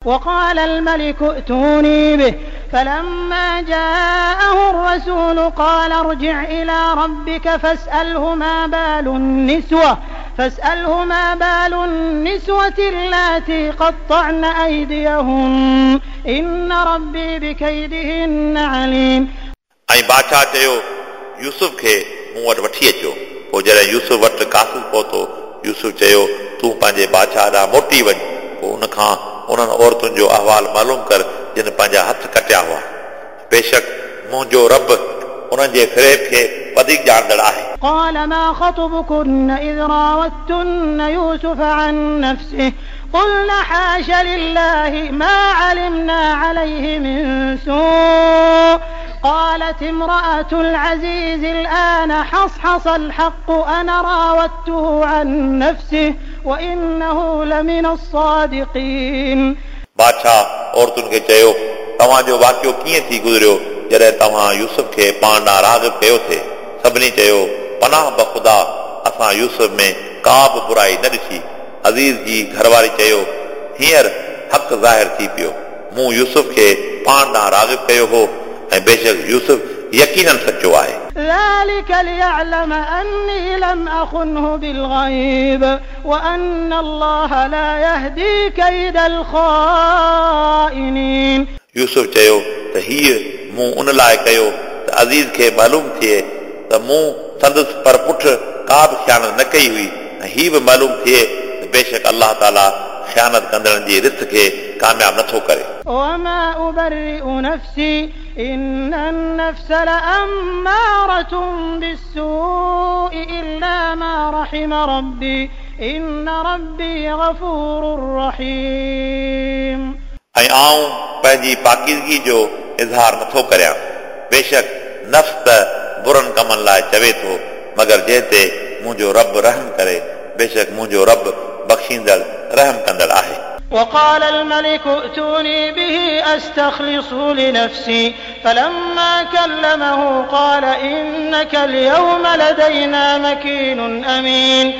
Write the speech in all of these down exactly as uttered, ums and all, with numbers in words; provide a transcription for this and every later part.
وقال الملك ائتوني به فلما جاءه الرسول قال ارجع إلى ربك فاسأله ما بال النسوة فاسأله ما بال النسوة اللاتي قطعن أيديهن إن ربي بكيدهن عليم. ऐं बादशाह चयो यूसुफ खे मूं वटि वठी अचो। पोइ जॾहिं यूसुफ वटि क़ासिद पहुतो, यूसुफ चयो तूं पंहिंजे बादशाह ॾांहुं मोटी वञ, पोइ उन खां उन्हनि औरतुनि जो अहवाल मालूम कर जिन पंहिंजा हथ कटिया हुआ। बेशक मुंहिंजो रब उन्हनि जे फ़रेब खे वधीक ॼाणंदड़ आहे। قال ما خطبكن إذ راودتن يوسف عن نفسه قلن حاش لله ما علمنا عليه من سوء قالت امرأة العزيز الآن حصحص الحق أنا راودته عن نفسه وإنه لمن الصادقين. बादशाह औरतुनि खे चयो तव्हांजो वाक़ियो कीअं थी गुज़रियो जॾहिं तव्हां यूसुफ खे पाण ॾांहुं राग़िब कयो थे? सभिनी चयो पनाह बख़ुदा असां यूसुफ में का बि बुराई न ॾिठी। अज़ीज़ जी घरवारी चयो हींअर हक़ ज़ाहिर थी पियो, मूं यूसुफ खे पाण ॾांहुं राग़िब कयो हो ऐं बेशक यूसुफ यकीनन सचो आहे। ذلك ليعلم أني لم أخنه بالغيب وأن الله لا يهدي كيد الخائنين. यूसुफ चयो त हीअ मूं उन लाइ कयो त अज़ीज़ खे मालूम थिए त मूं संदसि पर पुठ का बि ख़ियानत न कई हुई ऐं हीअ बि मालूम थिए त बेशक अलाह ताला ख़ियानत कंदड़नि जी रिथ खे कामयाब नथो करे। وما أبرئ نفسي إن النفس لأمارة بالسوء إلا ما رحم ربي إن ربي غفور رحيم. ऐं आऊं पंहिंजी पाकीज़गी जो इज़हार नथो करियां, बेशक नफ्स त बुरनि कमनि लाइ चवे थो, मगर जंहिं ते मुंहिंजो रब रहम करे, बेशक मुंहिंजो रब बख़्शींदड़ रहम कंदड़ आहे। وقال الملك ائتوني به أستخلصه لنفسي فلما كلمه قال إنك اليوم لدينا مكين أمين.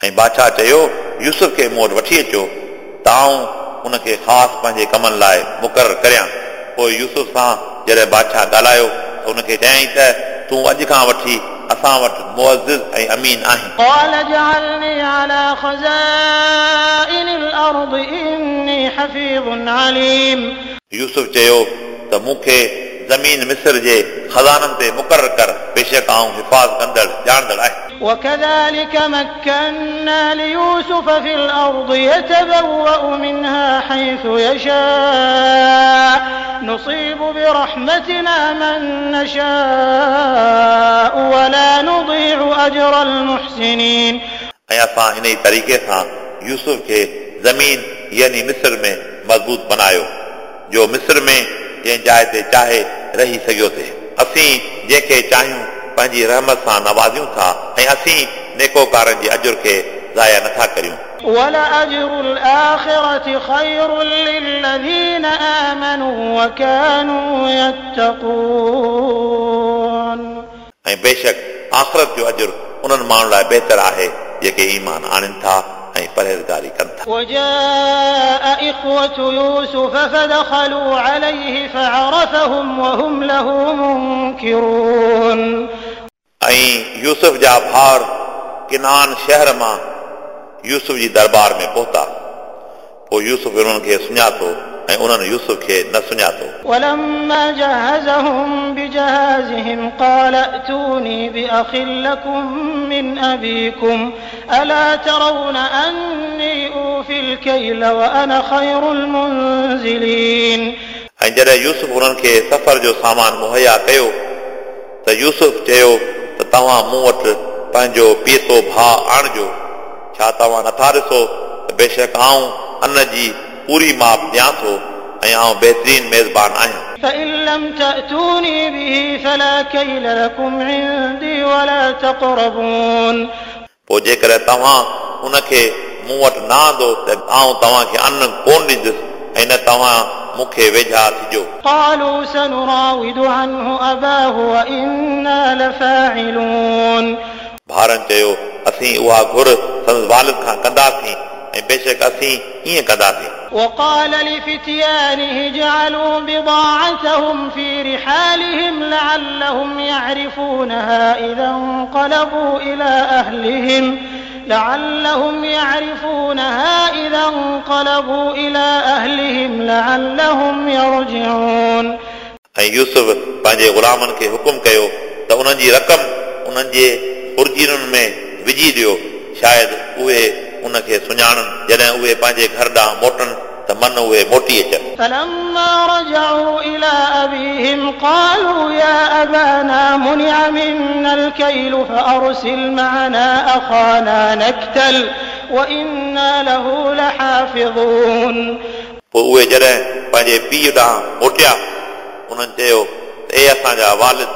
ऐं बादशाह चयो यूसुफ खे मूं वटि वठी अचो त आऊं उनखे ख़ासि पंहिंजे कमनि लाइ मुक़ररु करियां। पोइ यूसुफ सां जॾहिं बादशाह ॻाल्हायो त उनखे चयईं त तूं अॼु खां वठी असां वटि मुअज़्ज़िज़ ऐं अमीन आहीं। قال اجعلني على خزائن الأرض إني حفيظ عليم. यूसुफ चयो त मूंखे ज़मीन मिस्र जे ख़ज़ाननि ते मुक़ररु कर, बेशक आऊं हिफ़ाज़ कंदड़ ॼाणंदड़ आहियां। وكذلك مكنا ليوسف في الأرض يتبوأ منها حيث يشاء نصيب برحمتنا من نشاء ولا نضيع أجر المحسنين. ऐं असां इन ई तरीक़े सां यूसुफ खे ज़मीन यानी मिस्र में मज़बूत बनायो, जो मिस्र में जंहिं जाइ ते चाहे रही सघियो थे। असीं जंहिंखे चाहियूं पंहिंजी रहमत सां नवाज़ियूं था ऐं असीं नेकोकारनि जे अजुर खे ज़ाया नथा करियूं। ولأجر الآخرة خير للذين آمنوا وكانوا يتقون. ऐं बेशक आख़िरत जो अजुर उन्हनि माण्हुनि लाइ बहितर आहे जेके ईमान आणनि था ऐं परहेज़गारी कनि था। وجاء إخوة يوسف فدخلوا عليه فعرفهم وهم له منكرون. ऐं यूसुफ जा भाउर किनान शहर मां यूसुफ जी दरबार में पहुता, पोइ यूसुफ उन्हनि खे सुञातो ऐं उन्हनि यूसुफ खे न सुञातो। ولما جهزهم بجهازهم قال ائتوني بأخ لكم من أبيكم ألا ترون أني أوفي الكيل وأنا خير المنزلين. ऐं जॾहिं यूसुफ उन्हनि खे सफ़र जो सामान मुहैया कयो त यूसुफ चयो त तव्हां मूं वटि पंहिंजो पीतो भाउ आणिजो, छा तव्हां नथा ॾिसो त बेशक आऊं अन जी पूरी माप ॾियां थो ऐं आऊं बहितरीन मेज़बान आहियां। فإن لم تأتوني به فلا كيل لكم عندي ولا تقربون. पोइ जेकॾहिं तव्हां उनखे मूं वटि न आंदो त आऊं तव्हांखे अन कोन ॾींदुसि ऐं न तव्हां मूंखे वेझा थिजो। قالوا سنراود عنه أباه وإنا لفاعلون. भाउरनि चयो असीं उहा घुर संदसि वालिद खां कंदासीं ऐं ऐं बेशक असीं ईअं कंदासीं। وقال لفتيانه اجعلوا بضاعتهم في رحالهم لعلهم يعرفونها إذا انقلبوا إلى أهلهم لعلهم يعرفونها إذا انقلبوا إلى أهلهم لعلهم يرجعون। ऐं यूसुफ पंहिंजे ग़ुलामनि खे हुकुम कयो त उन्हनि जी रक़म उन्हनि जे खुर्जीनुनि में विझी ॾियो, शायदि उहे उनखे सुञाणनि। जॾहिं उहे पंहिंजे घर ॾांहुं मोटनि त मन उहे मोटी अचनि। فلما رجعوا إلى أبيهم قالوا يا أبانا منع منا الكيل فأرسل معنا أخانا نكتل وإنا له لحافظون। पोइ उहे जॾहिं पंहिंजे पीउ ॾांहुं मोटिया, उन्हनि चयो त ए असांजा वालिद,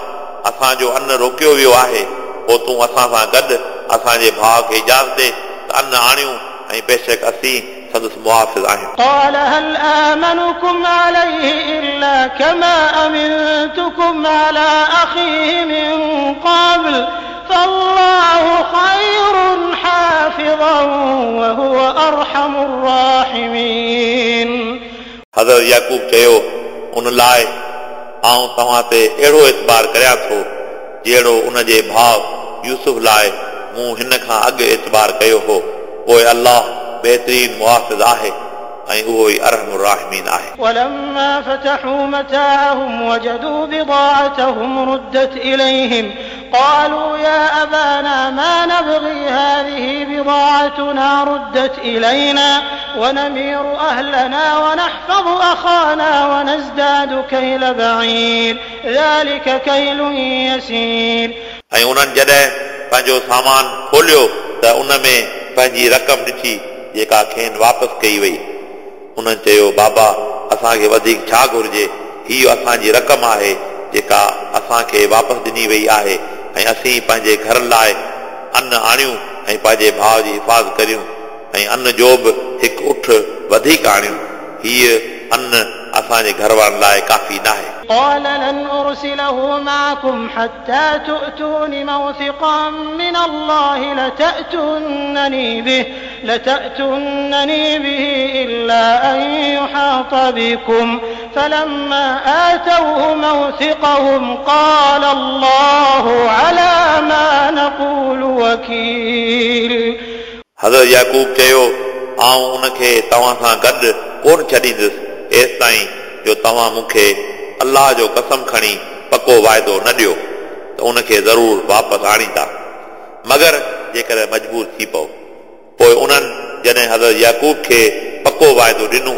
असांजो अन रोकियो वियो आहे, पोइ तूं असां सां गॾु असांजे भाउ खे इजाज़त ॾे त अन आणियूं ऐं बेशक असीं संदसि मुहाफ़िज़ आहियूं। قال هل آمنكم عليه إلا كما أمنتكم على أخيه من قبل فالله خير حافظا وهو أرحم الراحمين। हज़रत याकूब चयो, उन लाइ आउं तव्हां ते अहिड़ो एतबार करियां थो जहिड़ो उन जे भाउ यूसुफ लाइ मूं हिन खां अॻु एतबार कयो हो। पोइ अल्लाह बेहतरीन मुहाफ़िज़ आहे ऐं उहो ई अरहम राहिमीन आहे। ولما فتحوا متاعهم وجدوا بضاعتهم ردت إليهم قالوا يا أبانا ما نبغي هذه بضاعتنا ردت إلينا ونمير أهلنا ونحفظ أخانا ونزداد كيل بعير ذلك كيل يسير। ऐं उन्हनि जॾहिं पंहिंजो सामान खोलियो त उन में पंहिंजी रक़म ॾिठी जेका खेनि वापसि कई वई। उन्हनि चयो, बाबा असांखे वधीक छा घुरिजे, हीअ असांजी रक़म आहे जेका असांखे वापसि ॾिनी वई आहे ऐं असीं पंहिंजे घर लाइ अन आणियूं ऐं पंहिंजे भाउ जी हिफ़ाज़त करियूं ऐं अन जो बि हिकु उठ वधीक आणियूं। हीअ अन असांजे घर वारनि लाइ काफ़ी न आहे। قال لن أرسله معكم حتى تؤتون موثقا من الله لتأتونني به لتأتونني به إلا أن يحاط بكم فلما آتوه موثقهم قال الله على ما نقول وكيل। हज़रत याकूब चयो, आउं उनखे तव्हां सां गॾु कोन छॾींदुसि एसि ताईं जो तव्हां मूंखे अल्लाह जो कसम खणी पको वाइदो न ॾियो त उनखे ज़रूर वापसि आणींदा, मगर जेकॾहिं मजबूर थी पओ। पोइ उन्हनि जॾहिं हज़रत याकूब खे पको वाइदो ॾिनो,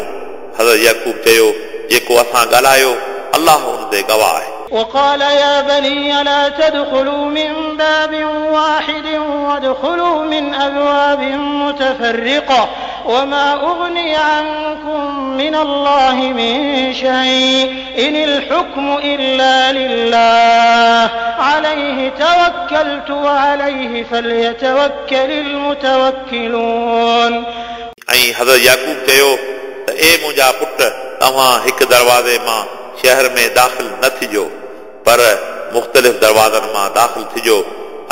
हज़रत याकूब चयो, जेको असां ॻाल्हायो अल्लाह उन ते गवाह आहे। وقال يا بني لا تدخلوا من باب واحد وادخلوا من أبواب متفرقة وما أغني عنكم من الله من شيء إن الحكم إلا لله عليه توكلت وعليه فليتوكل المتوكلون। ऐं हज़रत याकूब चयो त ए मुंहिंजा पुट, तव्हां हिकु दरवाज़े मां शहर में दाख़िल न थिजो, पर मुख़्तलिफ़ दरवाज़नि मां दाख़िल थिजो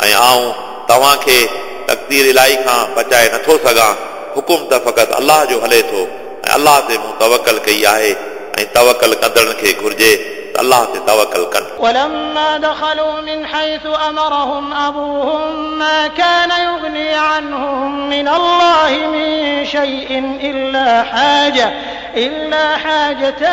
ऐं आउं तव्हांखे तक़दीर इलाही खां बचाए नथो सघां। हुकुम त फ़क़ति अल्लाह जो हले थो ऐं अल्लाह ते मूं तवकल कई आहे ऐं तवकल कंदड़नि खे घुरिजे त अल्लाह ते तवकल कनि। ولما دخلوا من حيث أمرهم أبوهم ما كان يغني عنهم من الله من شيء إلا حاجة إلا حاجة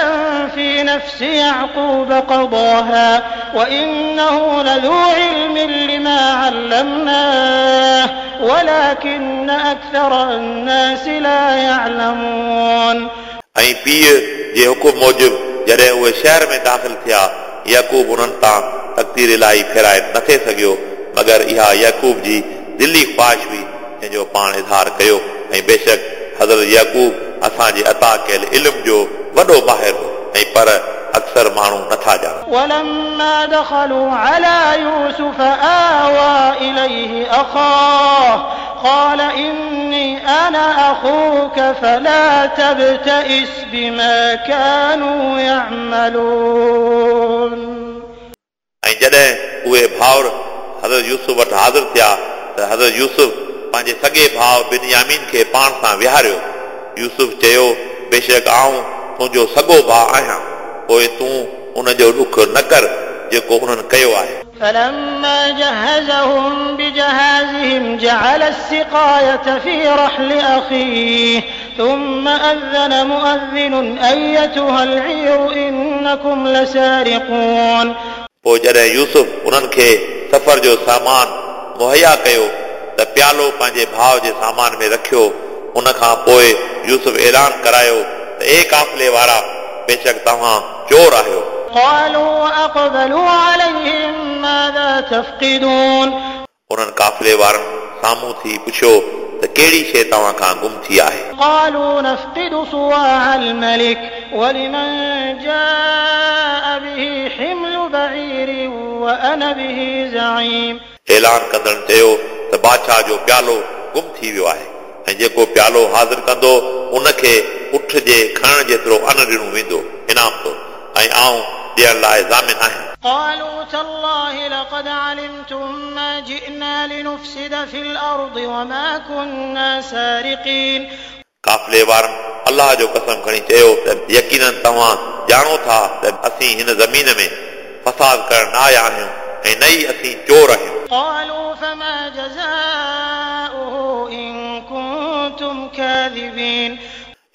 في نفس يعقوب قضاها وإنه لذو علم لما علمناه ولكن أكثر الناس لا يعلمون। ऐं पीउ जे हुकुम मूजिबि जॾहिं उहे शहर में दाख़िल थिया, याकूब उन्हनि तां तक़दीर इलाही फेराए नथे सघियो, मगर इहा याकूब जी दिली ख़्वाहिश हुई जंहिंजो पाण इज़हार कयो। ऐं बेशक हज़रत याकूब असांजे अता कयल इल्म जो वॾो माहिर हो, ऐं पर अक्सर माण्हू नथा ॼाणनि। ولما دخلوا على يوسف آوى إليه أخاه قال إني أنا أخوك فلا تبتئس بما كانوا يعملون। ऐं जॾहिं उहे भाउर हज़रत यूसुफ वटि हाज़िर थिया त हज़रत यूसुफ पंहिंजे सॻे भाउ बिनयामीन खे पाण सां विहारियो। यूसुफ चयो, बेशक आऊं तुंहिंजो सॻो भाउ आहियां, पोइ तूं उन जो ॾुख न कर जेको उन्हनि कयो आहे। فلما جهزهم بجهازهم جعل السقاية في رحل أخيه ثم أذن مؤذن أيتها العير إنكم لسارقون। पोइ जॾहिं यूसुफ उन्हनि खे सफ़र जो सामान मुहैया कयो त प्यालो पंहिंजे भाउ जे सामान में रखियो। उन खां पोइ यूसुफ ऐलान करायो त ए काफ़िले वारा, बेशक तव्हां चोर आहियो। قالوا وأقبلوا عليهم ماذا تفقدون। उन्हनि काफ़िले वारनि साम्हूं थी पुछियो त कहिड़ी शइ तव्हां खां गुम थी आहे? قالوا نفقد صواع الملك ولمن جاء به حمل بعير وأنا به زعيم। ऐलान कंदड़नि चयो त बादशाह जो प्यालो गुम थी वियो आहे ऐं जेको प्यालो हाज़िर कंदो उनखे उठ जे खणण जेतिरो अन ॾिनो वेंदो इनाम तौर, ऐं आऊं ॾियण लाइ ज़ामिन आहियां। قالوا تالله لقد علمتم ما جئنا لنفسد في الأرض وما كنا سارقين। काफ़िले वारनि अल्लाह जो कसम खणी चयो त यकीनन तव्हां ॼाणो था त असीं हिन ज़मीन में फसाद करण न आया आहियूं ऐं न ई असीं चोर आहियूं। قالوا فما جزاؤه إن كنتم كاذبين।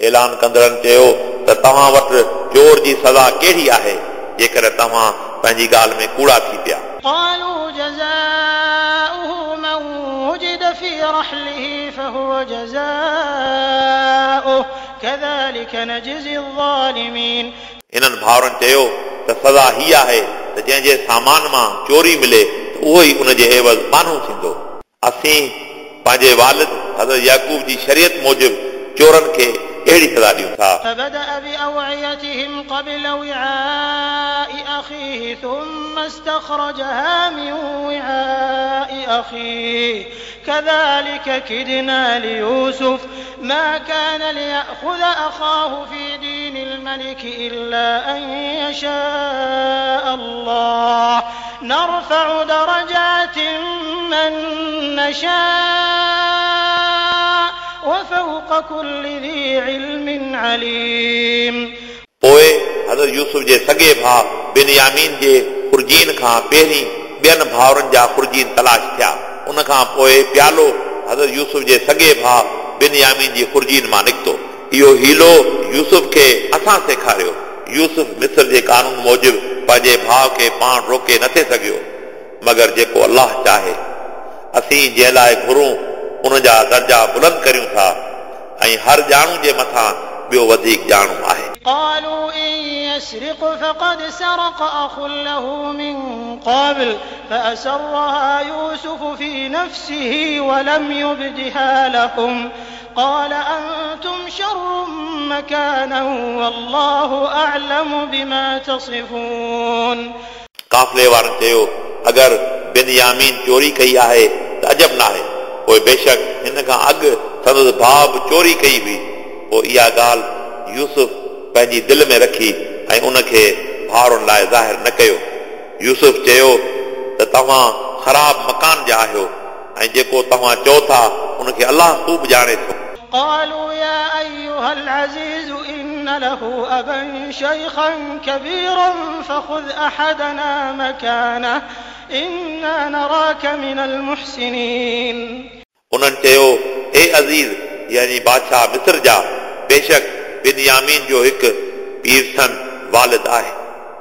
ऐलान कंदड़नि चयो त तव्हां वटि चोर जी सज़ा कहिड़ी आहे जेकर तव्हां पंहिंजी ॻाल्हि में कूड़ा थी पिया? قالوا جزاؤه من وجد في رحله فهو جزاؤه كذلك نجزي الظالمين। इन्हनि भाउरनि चयो त सज़ा हीअ आहे त जंहिंजे सामान मां चोरी मिले त उहो ई उन जे एवज़ बानू थींदो। असीं पंहिंजे वालिद हज़रत याकूब जी शरीयत मूजिबि चोरनि खे अहिड़ी सज़ा ॾियूं था। فبدأ بأوعيتهم قبل وعاء أخيه ثم استخرجها من وعاء أخيه كذلك كدنا ليوسف ما كان ليأخذ أخاه في دين الملك إلا أن يشاء الله نرفع درجات من نشاء وفوق كل ذي علم عليم। पोइ हज़रत यूसुफ जे सॻे भाउ बिनयामीन जे खुर्जीन खां पहिरीं ॿियनि भाउरनि जा खुर्जीन तलाश थिया। उन खां पोइ प्यालो हज़रत यूसुफ जे सॻे भाउ बिनयामीन जी खुर्जीन मां निकितो। इहो हीलो यूसुफ खे असां सेखारियो। यूसुफ मिस्र जे कानून मूजिबि पंहिंजे भाउ खे पाण रोके नथे सघियो, मगर जेको अल्लाह चाहे। असीं जंहिं लाइ घुरूं उन जा दर्जा बुलंद करियूं था ऐं हर ॼाणू जे मथां ॿियो वधीक ॼाणू आहे। قالوا إن يسرق فقد سرق أخ له من قبل فأسرها يوسف في نفسه ولم يبدها لهم قال أنتم شر مكانا والله أعلم بما تصفون। काफ़िले वारनि चयो, अगरि बिनयामीन चोरी कई आहे त अजब न आहे, पोइ बेशक हिन खां अॻु संदसि भाउ बि चोरी कई हुई। पोइ इहा ॻाल्हि यूसुफ पंहिंजी दिलि में रखी ऐं उनखे भाउरनि लाइ ज़ाहिर न कयो। यूसुफ चयो त तव्हां ख़राब मकान जा आहियो ऐं जेको तव्हां चओ था उनखे अल्लाह ख़ूब ॼाणे थो। قالوا يا أيها العزيز إن له أبا شيخا كبيرا فخذ أحدنا مكانه إنا نراك من المحسنين। उन्हनि चयो, ए अज़ीज़ यानी बादशाह मिस्र जा, बेशक बिनयामीन जो हिकु पीरसन वालिद आहे,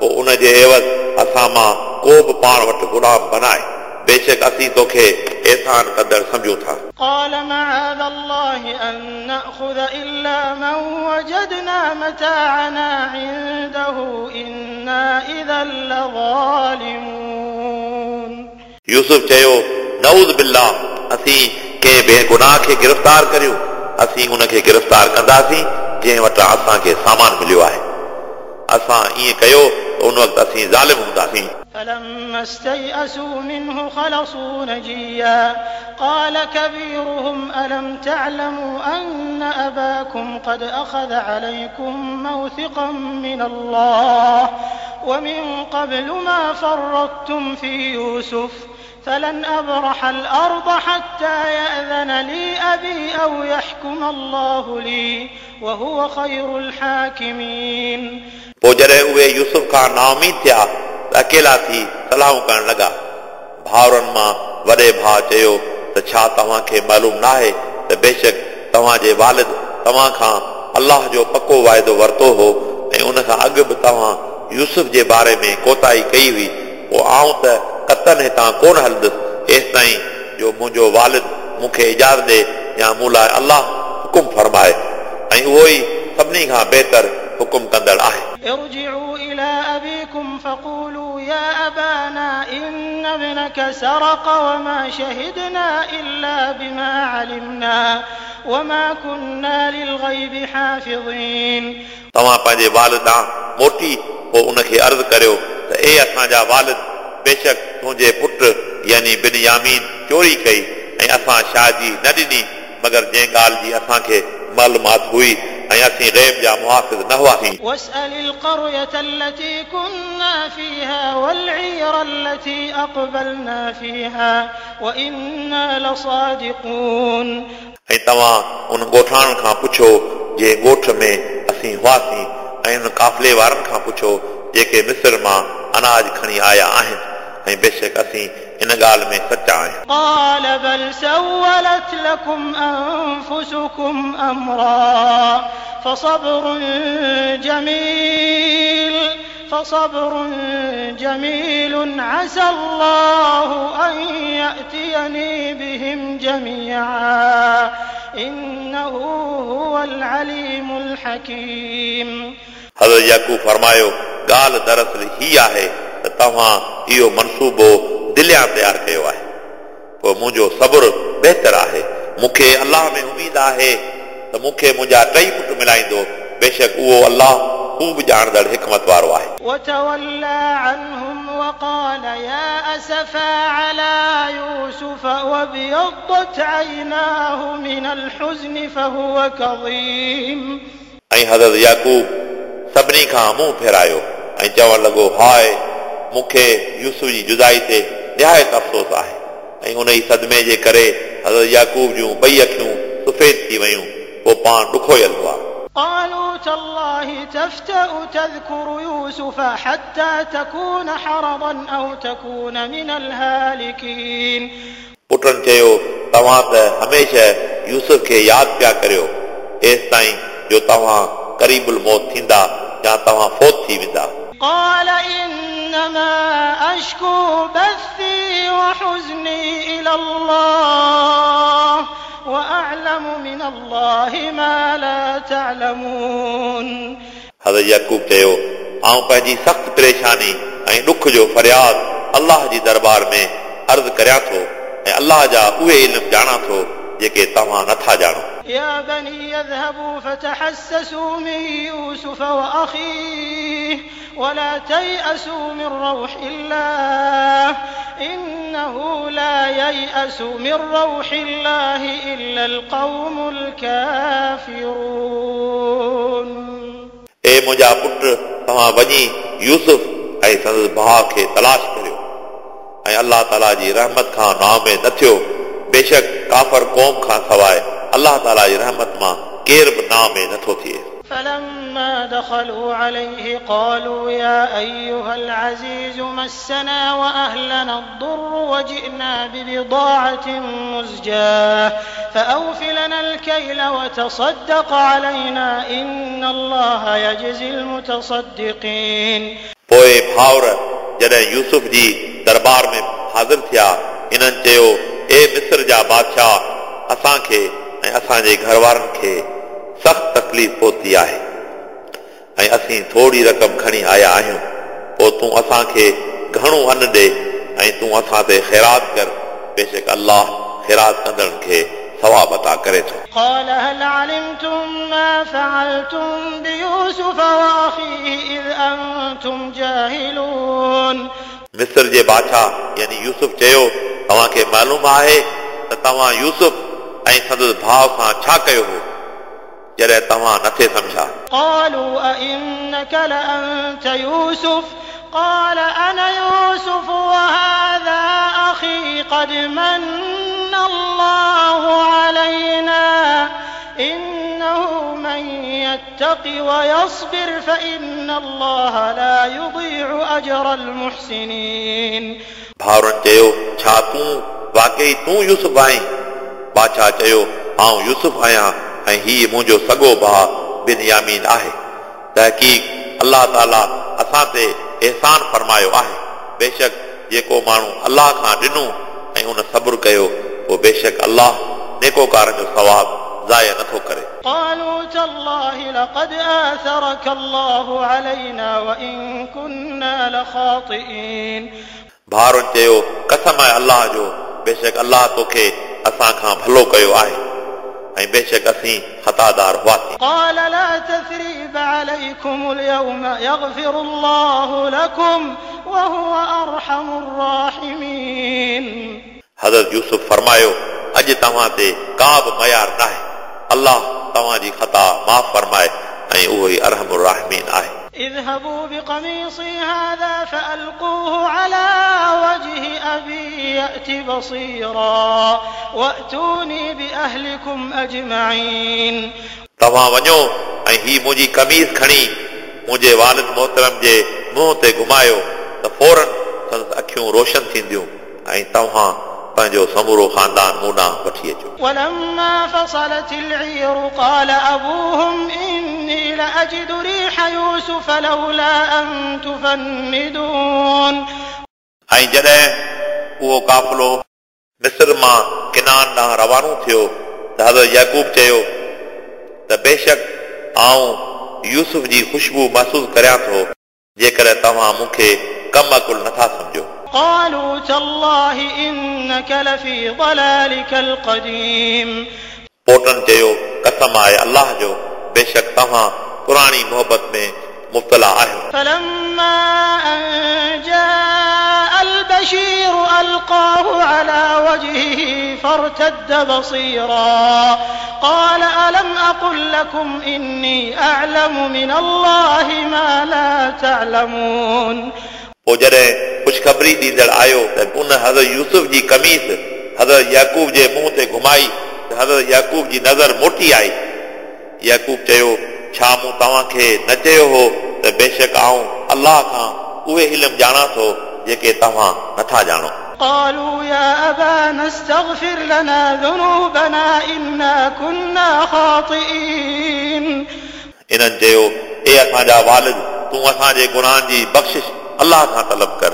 पोइ उन जे एवज़ असां मां को बि पाण वटि ग़ुलाम बनाए, बेशक असीं तोखे एहसान कंदड़ सम्झूं था। قال معاذ الله أن نأخذ إلا من وجدنا متاعنا عنده إنا إذا لظالمون। यूसुफ चयो, नऊज़ बिल्लाह, असीं कंहिं बेगुनाह खे गिरफ़्तार करियूं, असीं उनखे गिरफ़्तार कंदासीं जंहिं वटां असांखे सामान मिलियो आहे। असां ईअं कयो त उन वक़्तु असीं ज़ालिम हूंदासीं। فلما استيئسوا منه خلصوا نجيا قال كبيرهم ألم تعلموا أن أباكم قد أخذ عليكم موثقا من الله ومن قبل ما فرطتم في يوسف فلن أبرح الأرض حتى يأذن لي أبي أو يحكم الله لي وهو خير الحاكمين. पोइ जॾहिं उहे यूसुफ खां नाउमीद थिया त अकेला थी सलाहूं करण लॻा। भाउरनि मां वॾे भाउ चयो त छा तव्हांखे मालूम नाहे त बेशक तव्हांजे वालिद तव्हां खां अलाह जो पको वाइदो वरितो हो ऐं उन खां अॻु बि तव्हां यूसुफ जे बारे में कोताही कई हुई। पोइ आउं त कतन हितां कोन हलंदुसि एसि ताईं जो मुंहिंजो वालिद मूंखे इजाज़त ॾे या मूं लाइ अलाह हुकुम फरमाए ऐं उहो ई सभिनी खां बहितर हुकुम कंदड़ आहे। ارجعوا إلى أبيكم فقولوا يا أبانا إن ابنك سرق وما شهدنا إلا بما علمنا وما كنا للغيب حافظين. तव्हां पंहिंजे वालिद ॾांहुं मोटी पोइ उनखे अर्ज़ करियो त ए असांजा वालिद, बेशक तुंहिंजे पुट यानी बिन यामीन चोरी कई ऐं असां शादी न ॾिनी मगर जंहिं ॻाल्हि जी असांखे मालूमात हुई ऐं असीं ग़ैब जा मुहाफ़िज़ न हुआसीं। واسأل القرية التي كنا فيها والعير التي أقبلنا فيها وإنا لصادقون. ऐं तव्हां उन ॻोठाणनि खां पुछो जंहिं ॻोठ में असीं हुआसीं ऐं उन काफ़िले वारनि खां पुछो जेके मिस्र मां अनाज खणी आया आहिनि ऐं बेशक असीं इन ॻाल्हि में सचा आहियूं। قال بل سولت لكم أنفسكم أمرا فصبر جميل فصبر جميل عسى الله أن يأتيني بهم جميعا إنه هو العليم الحكيم. हज़रत याकूब फरमायो, ॻाल्हि दरअसल ही आहे त तव्हां इहो मनसूबो दिलियां तयारु कयो आहे, पोइ मुंहिंजो सब्र बहितर आहे। मूंखे अलाह में उमेद आहे त मूंखे मुंहिंजा टई पुट मिलाईंदो, बेशक उहो अलाह ख़ूब ॼाणंदड़ हिकमत वारो आहे। وتولى عنهم وقال يا أسفا على يوسف وابيضت عيناه من الحزن فهو كظيم. ऐं हज़रत याकूब सभिनी खां मुंहुं फेरायो ऐं चवण लॻो, हाय मूंखे यूसुफ जी जुदाई ते निहायत अफ़सोस आहे। ऐं उन ई सदमे जे करे हज़रत याकूब जूं ॿई अखियूं सफ़ेद थी वयूं, पोइ पाण ॾुखोयल हुआ। قالوا تالله تفتأ تذكر يوسف حتى تكون حرضا أو تكون من الهالكين. पुटनि चयो, तव्हां त हमेशह यूसुफ खे यादि पिया करियो एसि ताईं जो तव्हां क़रीबुल मौत थींदा या तव्हां फौत थी वेंदा। قال إنما أشكو بثي وحزني إلى الله وأعلم من الله ما لا تعلمون. हज़रत याकूब चयो, आउं पंहिंजी सख़्तु परेशानी ऐं ॾुख जो फ़रियाद अलाह जी दरबार में अर्ज़ करियां थो ऐं अलाह जा उहे इल्म ॼाणां थो जेके तव्हां नथा ॼाणो। يا بني اذهبوا فتحسسوا من يوسف وأخيه ولا تيأسوا من روح الله إنه لا ييأس من روح الله إلا القوم الكافرون. ए मुंहिंजा पुट, तव्हां वञी यूसुफ ऐं संदसि भाउ खे तलाश करियो ऐं अलाह ताला जी रहमत खां नाउमेद न थियो। बेशक काफ़र क़ौम खां सवाइ अलाह ताला जी रहमत मां केरु बि नाउमेद नथो थिए। فلما دخلوا عليه قالوا يا أيها العزيز مسنا وأهلنا الضر وجئنا ببضاعة مزجاة فأوف لنا الكيل وتصدق علينا إن الله يجزي المتصدقين. पोइ भाउर जॾहिं यूसुफ जी दरबार में हाज़िर थिया, इन्हनि चयो, ए मिस्र जा बादशाह, असांखे ऐं असांजे घर वारनि खे सख़्तु तकलीफ़ पहुती आहे ऐं असीं थोरी रक़म खणी आया आहियूं, पोइ तूं असांखे घणो अन ॾे ऐं तूं असां ते ख़ैरात कर, बेशक अलाह ख़ैरात कंदड़नि खे सवाब अता करे थो। قال هل علمتم ما فعلتم بيوسف وأخيه إذ أنتم جاهلون. मिस्र जे बादशाह यानी यूसुफ चयो, तव्हांखे मालूम आहे त तव्हां यूसुफ ऐं संदसि भाउ सां छा कयो हो जॾहिं तव्हां नथे सम्झा। قالوا أئنك لأنت يوسف قال أنا يوسف وهذا أخي قد من الله علينا إنه من يتق ويصبر فإن الله لا يضيع أجر المحسنين. भाउरनि चयो, छा तूं वाकई तूं यूसुफ आहीं? बादशाह चयो, आउं यूसुफ आहियां ऐं हीउ मुंहिंजो सॻो भाउ बिनयामीन आहे। तहक़ीक़ अलाह ताला असां ते एहसान फरमायो आहे। बेशक जेको माण्हू अलाह खां ॾिनो ऐं उन सब्र कयो, पोइ बेशक अलाह नेकोकारनि जो सवाब ज़ाया नथो करे। قالوا تالله لقد آثرك الله علينا وإن كنا لخاطئين. भाउरनि चयो, कसम आहे अलाह जो, बेशक अलाह तोखे असां खां भलो कयो आहे ऐं बेशक असीं ख़तादार हुआसीं। قال لا تثريب عليكم اليوم يغفر الله لكم وهو أرحم الراحمين. हज़रत यूसुफ फरमायो, अॼु तव्हां ते का बि मयार न आहे, अलाह तव्हांजी ख़ता माफ़ फरमाए ऐं उहो ई अरहम राहिमीन आहे। اذهبوا بقميصي هذا فألقوه على وجه أبي يأت بصيرا وأتوني بأهلكم أجمعين. तव्हां वञो ऐं हीअ मुंहिंजी कमीज़ खणी मुंहिंजे वालिद मोहतरम जे मुंहुं ते घुमायो त फौरन संदसि अखियूं रोशन थींदियूं ऐं तव्हां पंहिंजो समूरो ख़ानदान मूं ॾांहुं वठी अचो। ولما فصلت العير قال أبوهم إني لأجد ريح يوسف لولا أن تفندون. ऐं जॾहिं उहो काफ़िलो मिस्र मां किनान ॾांहुं रवानो थियो त हज़रत याकूब चयो त बेशक आउं यूसुफ जी ख़ुशबू महसूसु करियां थो, जेकॾहिं तव्हां मूंखे कम अकुल नथा सम्झो। قالوا تالله إنك لفي ضلالك القديم. पोटनि चयो, कसम आहे अलाह जो, बेशक तव्हां पुराणी मोहबत में मुब्तला आहियो। فلما أن جاء البشير ألقاه على وجهه فارتد بصيرا قال ألم أقل لكم إني أعلم من الله ما لا تعلمون. पोइ जॾहिं ख़ुशख़बरी ॾींदड़ आयो त उन हज़रत यूसुफ जी कमीज़ हज़रत याकूब जे मुंहुं ते घुमाई त हज़रत याकूब जी नज़र मोटी आई। याकूब चयो, छा मूं तव्हांखे न चयो हो त बेशक आउं अलाह खां उहे इल्म ॼाणां थो जेके तव्हां नथा ॼाणो। قالوا يا أبانا استغفر لنا ذنوبنا إنا كنا خاطئين. इन्हनि चयो, ए असांजा वालिद, तूं असांजे गुनाहनि जी बख़्शिश अलाह खां तलब कर,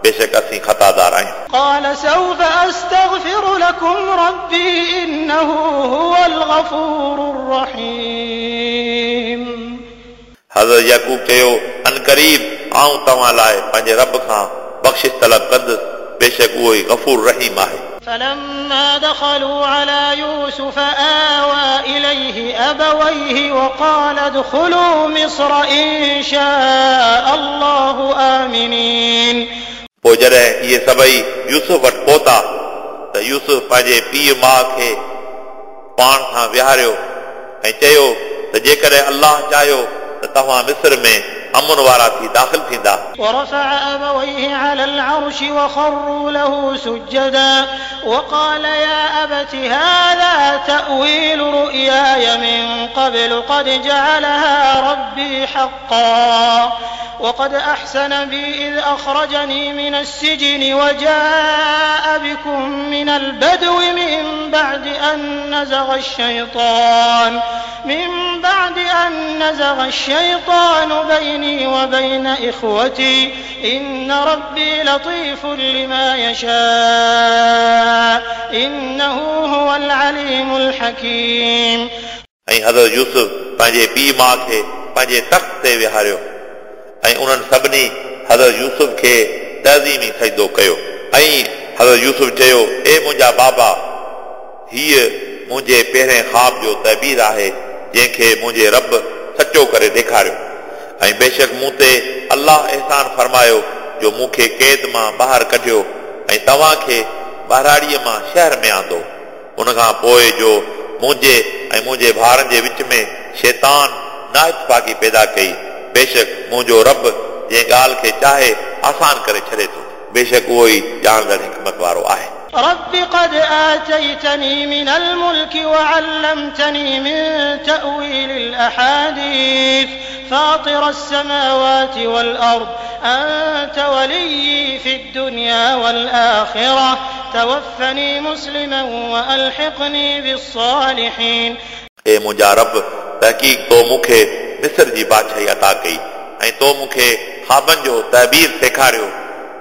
बेशक असीं ख़तादार आहियूं। قال سوف أستغفر لكم ربي إنه هو الغفور الرحيم. हज़रत याकूब चयो, अन क़रीब आउं तव्हां लाइ पंहिंजे रब खां बख़्शिश तलब कंदुसि, बेशक उहो ई गफ़ूर रहीम आहे। فلما دخلوا على يوسف آوى إليه أبويه وقال ادخلوا مصر إن شاء الله آمنين. पोइ जॾहिं इहे सभई यूसुफ वटि पहुता त यूसुफ पंहिंजे पीउ माउ खे पाण सां विहारियो ऐं चयो त जेकॾहिं अलाह चाहियो त तव्हां मिस्र में अमन वारा थी दाख़िल थींदा। ورفع أبويه على العرش وخروا له سجدا وقال يا أبت هذا تأويل رؤياي من قبل قد جعلها ربي حقا وقد أحسن بي إذ أخرجني من السجن وجاء بكم من البدو من بعد أن نزغ الشيطان من بعد أن نزغ الشيطان بيني وبين إخوتي إن ربي لطيف لما يشاء إنه هو العليم الحكيم. ऐं हज़रत यूसुफ पंहिंजे पीउ माउ खे पंहिंजे तख़्त ते विहारियो ऐं उन्हनि सभिनी हज़रत यूसुफ खे तज़ीमी सजदो कयो। ऐं हज़रत यूसुफ चयो, ए मुंहिंजा बाबा, हीअ मुंहिंजे पहिरें ख़्वाब जो तबीर आहे जंहिंखे मुंहिंजे रब सचो करे ॾेखारियो, ऐं बेशक मूं ते अलाह एहसान फरमायो जो मूंखे क़ैद मां ॿाहिरि कढियो ऐं तव्हांखे ॿहिराड़ीअ मां शहर में आंदो। उन खां पोइ जो मुंहिंजे ऐं मुंहिंजे भाउरनि जे विच में शैतान नाइतफ़ाक़ी पैदा कई, बेशक मुंहिंजो रब जंहिं ॻाल्हि खे चाहे आसान करे छॾे थो। बेशक उहो ई ॼाणंदड़ हिकमत वारो आहे। رب قد آتيتني من الملك وعلمتني من تأويل الأحاديث فاطر السماوات والأرض أنت وليي في الدنيا والآخرة توفني مسلما وألحقني بالصالحين। ए मुंहिंजा रब, तहक़ीक़ तो मूंखे मिस्र जी बादशाही अता कई ऐं तो मूंखे ख़्वाबनि जो तहबीर सेखारियो।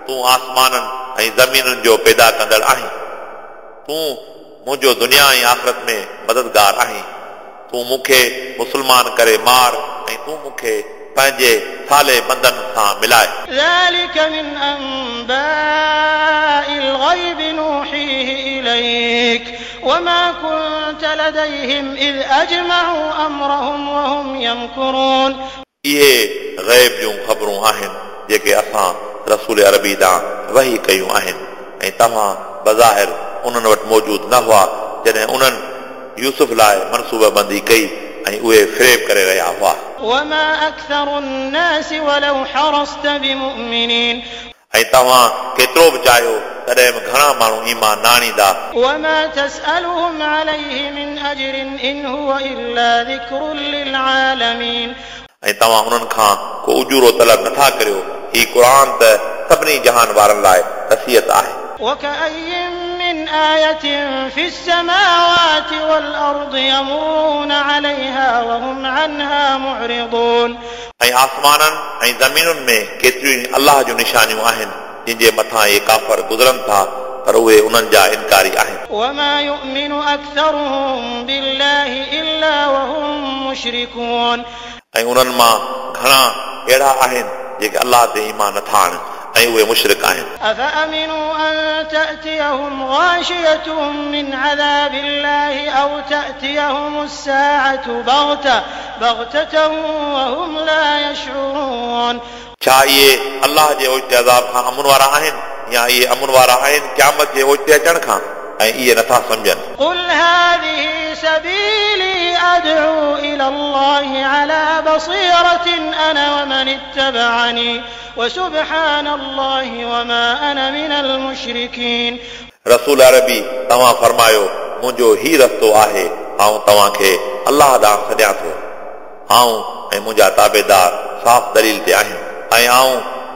तूं आसमाननि ऐं ज़मीनुनि जो पैदा कंदड़ आहीं। तूं मुंहिंजो दुनिया ऐं आख़िरत में मददगार आहीं। तूं मूंखे मुस्लमान करे मार ऐं तूं मूंखे पंहिंजे साले बंदनि सां मिलाए। ذلك من أنباء الغيب نوحيه إليك وما كنت لديهم إذ أجمعوا أمرهم وهم يمكرون। इहे ग़ैब जूं ख़बरूं आहिनि जेके असां रसूल अरबी ॾांहुं वही कयूं आहिनि ऐं तव्हां बज़ाहिर उन्हनि वटि मौजूद न हुआ जॾहिं उन्हनि यूसुफ लाइ मनसूबाबंदी कई ऐं उहे फ़रेब करे रहिया हुआ। وما أكثر الناس ولو حرصت بمؤمنين। ऐं तव्हां केतिरो बि चाहियो तॾहिं बि घणा माण्हू ईमान न आणींदा। وما تسألهم عليه من أجر إن هو إلا ذكر للعالمين। ऐं तव्हां उन्हनि खां को उजूरो तलब नथा करियो। ही क़ुर त सभिनी जहान वारनि लाइ नसीहत आहे। وكأي من آية في السماوات والأرض يمرون عليها وهم عنها معرضون। ऐं आसमाननि ऐं ज़मीनुनि में केतिरियूं ई अलाह जूं निशानियूं आहिनि जिन जे मथां इहे काफ़र गुज़रनि था, पर उहे उन्हनि जा इनकारी आहिनि। وما يؤمن أكثرهم بالله إلا وهم مشركون। ऐं उन्हनि मां घणा अहिड़ा आहिनि जेके अलाह ते ईमान नथा आणनि ऐं उहे मुशरिक आहिनि। أفأمنوا أن تأتيهم غاشية من عذاب الله أو تأتيهم الساعة بغتة بغتة وهم لا يشعرون। छा इहे अलाह जे ओचिते अज़ाब खां अमन वारा आहिनि या इहे अमन वारा आहिनि क़यामत जे ओचिते अचण खां ऐं इहे नथा सम्झनि। قل هذه سبيلي أدعو إلى الله على بصيرة أنا ومن اتبعني وسبحان الله وما أنا من المشركين। रसूल अरबी तव्हां फरमायो, मुंहिंजो ही रस्तो आहे, आउं तव्हांखे अलाह ॾांहुं सॾियां थो। आउं ऐं मुंहिंजा ताबेदार साफ़ दलील ते आहिनि ऐं आउं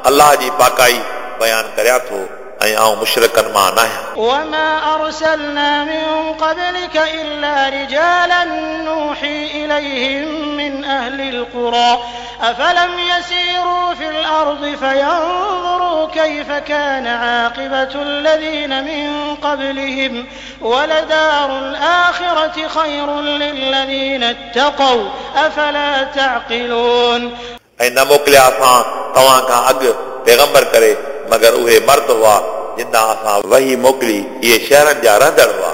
अलाह जी पाकाई बयानु करियां थो ऐं आउं मुशरिकनि मां न आहियां। وما أرسلنا من قبلك إلا رجالا نوحي إليهم من أهل القرى أفلم يسيروا في الأرض فينظروا كيف كان عاقبة الذين من قبلهم ولدار الآخرة خير للذين اتقوا أفلا تعقلون। ऐं न मोकिलिया असां तव्हां खां अॻु पैगंबर करे, मगर उहे मर्द हुआ जिन ॾांहुं असां वही मोकिली, इहे शहरनि जा रहंदड़ हुआ।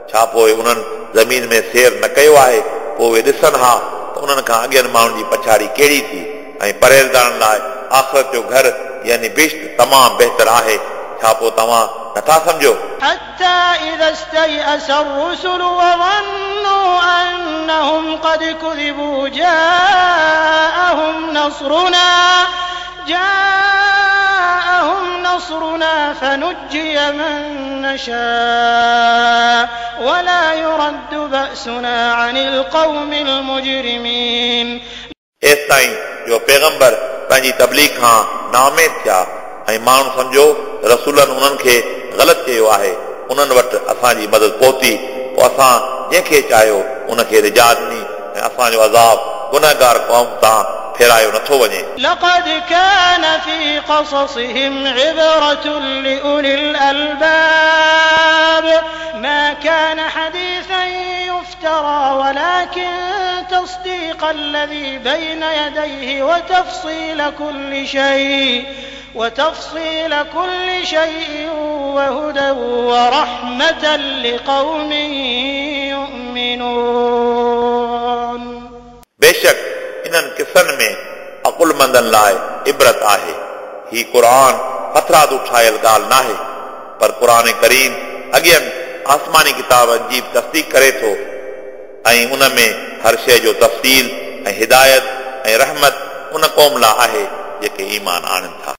छा पोइ उन्हनि ज़मीन में सैर न कयो आहे? पोइ उहे ॾिसनि हा त उन्हनि खां अॻियनि माण्हुनि जी पछाड़ी कहिड़ी थी। ऐं परहेज़गारनि लाइ आख़िरत जो घर यानी बिश्त तमामु बहितर आहे। छा पोइ तव्हां नथा सम्झो? حتى إذا استيأس الرسل وظنوا أنهم قد كذبوا جاءهم نصرنا جاءهم نصرنا فنجي من نشاء ولا يرد بأسنا عن القوم المجرمين। एसिताईं जो पैगंबर पंहिंजी तबलीग खां नाउमेद थिया ऐं माण्हू सम्झो रसूलनि उन्हनि खे ग़लति चयो आहे, उन्हनि वटि असांजी मदद पहुती, पोइ असां जंहिंखे चाहियो उनखे निजात ॾिनी ऐं असांजो अज़ाब गुनहगार क़ौम तां फेरायो नथो वञे। لقد كان في قصصهم عبرة لأولي الألباب ما كان حديثا يفترى ولكن تصديق الذي بين يديه وتفصيل كل شيء وتفصيل كل شيء وهدى ورحمة لقوم يؤمنون। बेशक इन्हनि किसनि में अकुलमंदनि लाइ इबरत आहे। ही क़ुर हथरादू ठाहियल ॻाल्हि नाहे, पर क़ुर करीम अॻियनि आसमानी किताबनि जी बि तस्दीक करे थो ऐं उन में हर शइ जो तफ़सील ऐं हिदायत ऐं रहमत उन क़ौम लाइ आहे जेके ईमान आणनि था।